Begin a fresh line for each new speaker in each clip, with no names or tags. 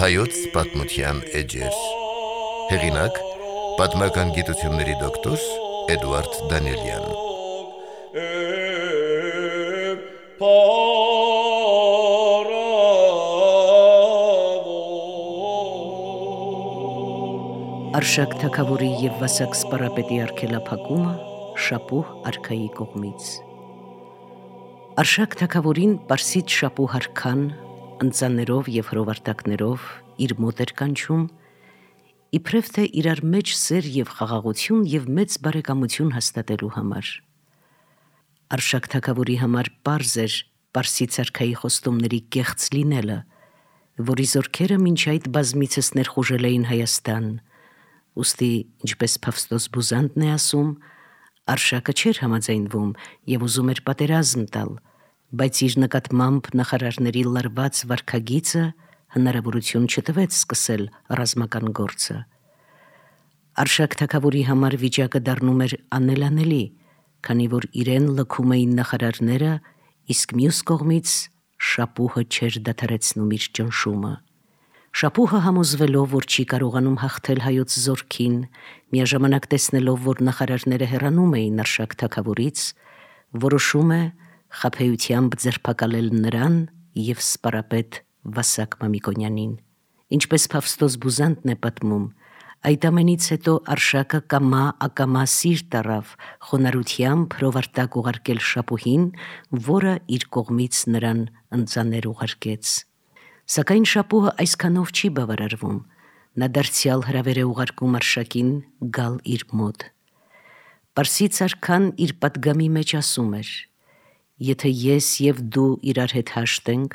Հայոց պատմության էջեր։ Հեղինակ՝ պատմական գիտությունների դոկտոր Էդուարդ Դանիելյան։
Արշակ թագավորի և Վասակ սպառապետի արգելափակումը Շապուհ արքայի կողմից։ Արշակ թագավորին Պարսից Շապուհ արքան ընծաներով և հրովարտակներով իր մոտ էր կանչում, իբրև թե իրար մեջ սեր և խաղաղություն և մեծ բարեկամություն հաստատելու համար։ Արշակ թագավորի համար պարզ էր Պարսից արքայի խոստումների կեղծ լինելը, որի զորքերը մինչ այդ բազմիցս ներխուժել էին Հայաստան, ուստի, ինչպես Փավստոս Բուզանդն է ասում, Արշակը չէր համաձայնվում և ուզում էր պատերազմ տալ, բայց իր նկատմամբ նախարարների լարված վարքագիծը հնարավորություն չտվեց սկսել ռազմական գործը։ Արշակ թագավորի համար վիճակը դառնում էր անելանելի, քանի որ իրեն լքում էին նախարարները, իսկ մյուս կողմից Շապուհը չէր դադարեցնում իր ճնշումը։ Շապուհը համոզվելով, որ չի կարողանում հաղթել հայոց զորքին, միաժամանակ տեսնելով, որ նախարարները հեռանում էին Արշակ թագավորից, որոշում է խաբեությամբ ձերբակալել նրան և սպառապետ Վասակ Մամիկոնյանին։ Ինչպես Փավստոս Բուզանդն է պատմում, այդ ամենից հետո Արշակը կամա-ակամա սիրտ առավ խոնարհությամբ հրովարտակ ուղարկել Շապուհին, որը իր կողմից նրան ընծաներ ուղարկեց։ Սակայն Շապուհը այսքանով չի բավարարվում, նա դարձյալ հրավեր է ուղարկում Արշակին գալ իր մոտ։ Պարսից արքան իր պատգամի մեջ ասում էր. «Եթե ես և դու իրար հետ հաշտենք,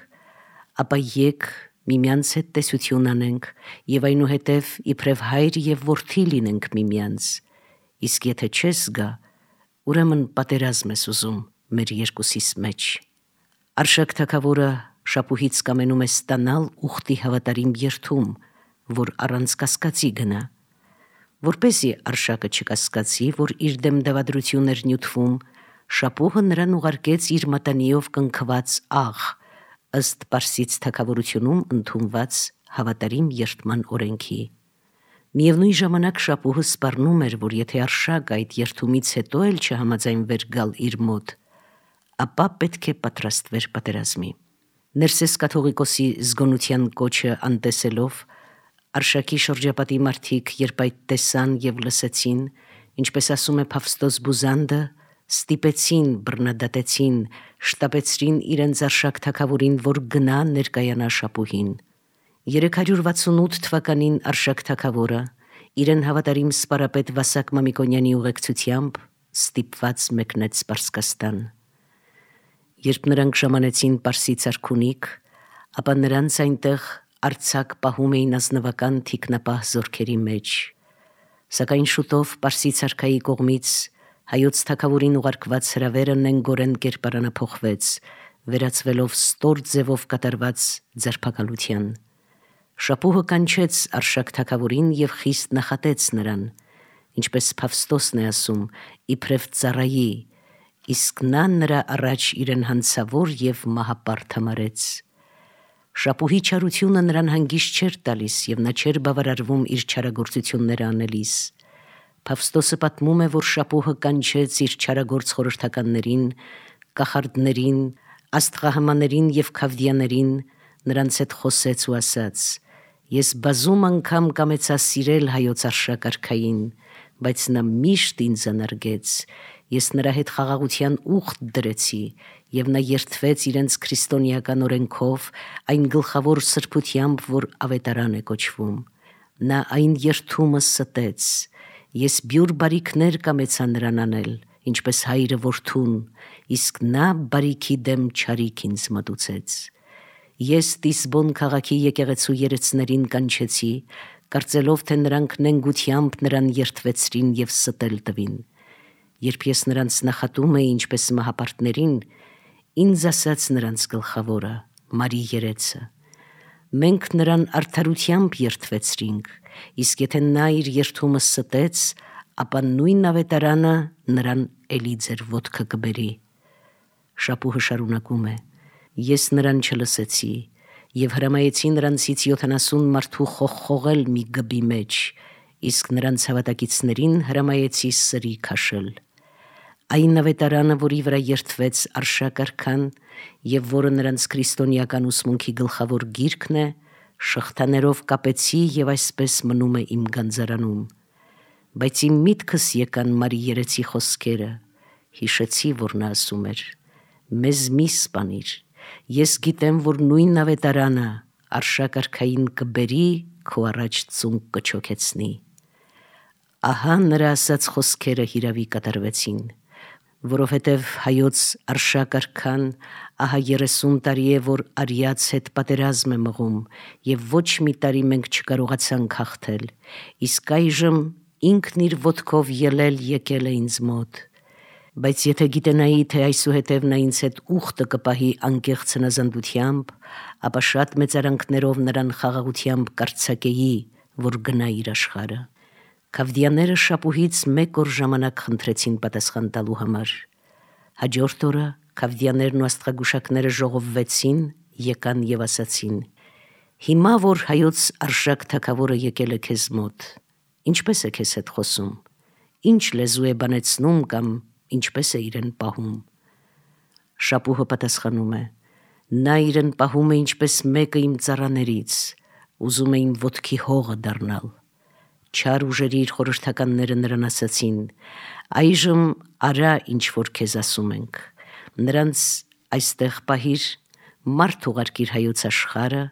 ապա եկ միմյանց հետ տեսություն անենք և այնուհետև իբրև հայր և որդի լինենք միմյանց, իսկ եթե չես գա, ուրեմն պատերազմ ես ուզում մեր երկուսիս մեջ»։ Արշակ թագավորը Շապուհից կամենում է ստանալ ուխտի հավատարիմ երդում, որ առանց կասկածի գնա։ Որպեսզի Արշակը չկասկածի, որ իր դեմ դավադրություն էր նյութվում, Շապուհը նրան ուղարկեց իր մատանիով կնքված աղ, ըստ Պարսից թագավորությունում ընդունված հավատարիմ երդման օրենքի։ Միևնույն ժամանակ Շապուհը սպառնում էր, որ եթե Արշակը այդ երդումից հետո էլ չհամաձայնվեր գալ իր մոտ, ապա պետք է պատրաստվեր պատերազմի։ Ներսես կաթողիկոսի զգոնության կոչը անտեսելով, Արշակի շրջապատի մարդիկ, երբ այդ տեսան և լսեցին, ինչպես ասում է Փավստոս Բուզանդը, ստիպեցին, բռնադատեցին, շտապեցրին իրենց Արշակ թագավորին, որ գնա ներկայանա Շապուհին։ 368 թվականին Արշակ թագավորը իրեն հավատարիմ սպառապետ Վասակ Մամիկոնյանի ուղեկցությամբ ստիպված մեկնեց Պարսկաստան։ Երբ նրանք ժամանեցին Պարսից արքունիք, ապա նրանց այնտեղ արձակ պահում էին ազնվական թիկնապահ զորքերի մեջ։ Սակայն շուտով Պարսից արքայի կողմից հայոց թագավորին ուղարկված հրավերը նենգորեն կերպարանափոխվեց, վերածվելով ստոր ձևով կատարված ձերբակալության։ Շապուհը կանչեց Արշակ թագավորին և խիստ նախատեց նրան, ինչպես Փավստոսն է ասում, իբրև ծառայի, իսկ նա նրա առաջ իրեն հանցավոր և մահապարտ համարեց։ Շապուհի չարությունը նրան հանգիստ չէր տալիս և նա չէր բավարարվում իր չարագործությունները անելիս։ Փավստոսը պատմում է, որ Շապուհը կանչեց իր չարագործ խորհրդականներին, կախարդներին, աստղահամաներին և քավդիաներին, նրանց հետ խոսեց ու ասաց. «Ես բազում անգամ կամեցա սիրել հայոց Արշակ արքային, բայց նա միշտ ինձ անարգեց։ Ես նրա հետ խաղաղության ուխտ դրեցի, և նա երդվեց իրենց քրիստոնեական օրենքով, այն գլխավոր սրբությամբ, որ ավետարան է կոչվում։ Նա այն երդումը ստեց։ Ես բյուր բարիքներ կամեցա նրան անել, ինչպես հայրը որդուն, իսկ նա բարիքի դեմ չարիք ինձ մատուցեց։ Ես Տիսբոն քաղաքի եկեղեցու երեցներին կանչեցի, կարծելով, թե նրանք նենգությամբ նրան երդվեցրին և ստել տվին։ Երբ ես նրանց նախատում էի ինչպես մահապարտներին, ինձ ասաց նրանց գլխավորը՝ Մարի երեցը. «Մենք նրան արդարությամբ երդվեցրինք, իսկ եթե նա իր երդումը ստեց, ապա նույն ավետարանը նրան էլի ձեր ոտքը կբերի։ Շապուհը շարունակում է. Ես նրան չլսեցի եւ հրամայեցի նրանցից 70 մարդու խողխողել մի գբի մեջ, իսկ նրանց հավատակիցներին հրամայեցի սրի քաշել։ Այն ավետարանը, որի վրա երդվեց Արշակ արքան եւ որը նրանց քրիստոնեական ուսմունքի գլխավոր գիրքն է, շղթաներով կապեցի եւ այսպես մնում է իմ գանձարանում։ Բայց իմ միտքս եկան Մարի երեցի խոսքերը, հիշեցի, որ նա ասում էր. մեզ մի սպանիր, ես գիտեմ, որ նույն ավետարանը Արշակ արքային կբերի, քո առաջ ծունկ կչոքեցնի։ Ահա նրա ասած խոսքերը հիրավի կատարվեցին, որովհետև հայոց Արշակ արքան ահա 30 տարի է, որ արիած հետ պատերազմ է մղում եւ ոչ մի տարի մենք չկարողացանք հաղթել, իսկ այժմ ինքն իր ոտքով ելել եկել է ինձ մոտ։ Բայց եթե գիտենայի, թե այսուհետև նա ինձ հետ ուխտը կպահի անկեղծ հնազանդությամբ, ապա շատ մեծարանքներով նրան խաղաղությամբ կարձակեի, որ գնա իր աշխարհը։ Քավդիաները Շապուհից 1 օր ժամանակ խնդրեցին պատասխան տալու համար։ Հաջորդ օրը քավդիաներն ու աստղագուշակները ժողովվեցին, եկան եւ ասացին. Հիմա որ հայոց Արշակ թագավորը եկել է քեզ մոտ, ինչպես է քեզ հետ խոսում, ինչ լեզու է բանեցնում կամ ինչպես է իրեն պահում։ Շապուհը պատասխանում է. նա իրեն պահում է ինչպես մեկը իմ ծառաներից, ուզում է իմ ոտքի հողը դառնալ։ Չար ուժերի իր խորհրդականները նրան ասացին. այժմ արա ինչ որ քեզ ասում ենք, նրանց այստեղ պահիր, մարդ ուղարկիր հայոց աշխարհը,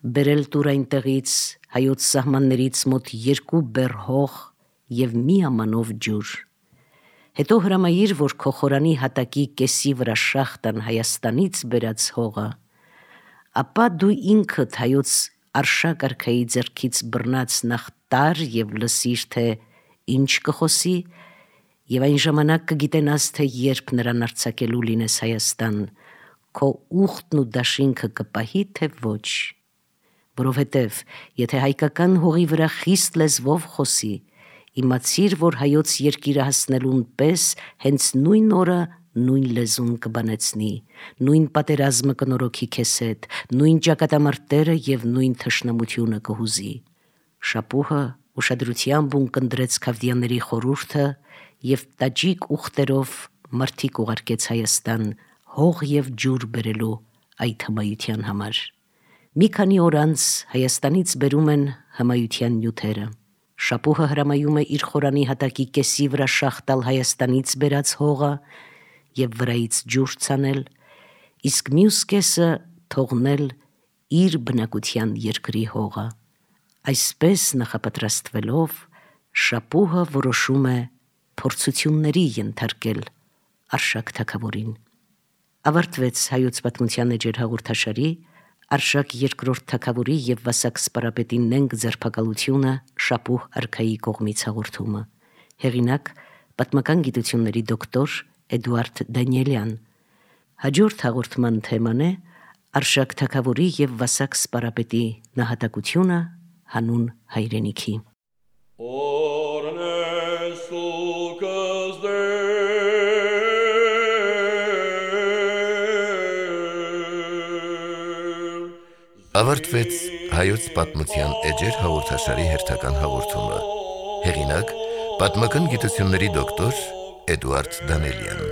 բերել տուր այնտեղից հայոց սահմաններից մոտ 2 բեռ հող եւ մի ամանով ջուր։ Հետո հրամայիր, որ քո խորանի հատակի կեսի վրա շախտան Հայաստանից բերած հողը, ապա դու ինքդ հայոց Արշակ արքայի ձեռքից բռնած նախ տար եւ լսիր, թե ինչ կխոսի, եւ այն ժամանակ կգիտենաս, թե երբ նրան արձակելու լինես Հայաստան, քո ուխտն ու դաշինքը կպահի, թե ոչ։ Որովհետև եթե հայկական հողի վրա խիստ լեզվով խոսի, իմացիր, որ հայոց երկիրը հասնելուն պես հենց նույն օրը նույն լեզուն կբանեցնի, նույն պատերազմը կնորոգի քեզ հետ, նույն ճակատամարտերը եւ նույն թշնամությունը կհուզի։ Շապուհը ուշադրությամբ ունկնդրեց քավդիաների խորհուրդը եւ տաճիկ ուխտերով մարդիկ ուղարկեց Հայաստան հող եւ ջուր բերելու այդ հմայության համար։ Մի քանի օր անց Հայաստանից բերում են հմայության նյութերը։ Շապուհը հրամայում է իր խորանի հատակի կեսի վրա շախտալ Հայաստանից բերած հողը եւ վրայից ջուր ցանել, իսկ մյուս կեսը թողնել իր բնակության երկրի հողը։ Այսպես նախապատրաստվելով Շապուհը որոշում է փորձությունների ենթարկել Արշակ թագավորին։ Ավարտվեց հայոց պատմության էջեր հաղորդաշարի Արշակ II թագավորի եւ Վասակ սպարապետի նենգ ձերբակալությունը Շապուհ արքայի կողմից հաղորդումը։ Հեղինակ պատմական գիտությունների դոկտոր Էդուարդ Դանիելյան։ Հաջորդ հաղորդման թեման է Արշակ թագավորի եւ Վասակ սպարապետի նահատակությունը հանուն հայրենիքի։
Ավարտվեց հայոց պատմության էջեր հաղորդաշարի հերթական հաղորդումը։ Հեղինակ պատմական գիտությունների դոկտոր Էդուարդ Դանիելյան։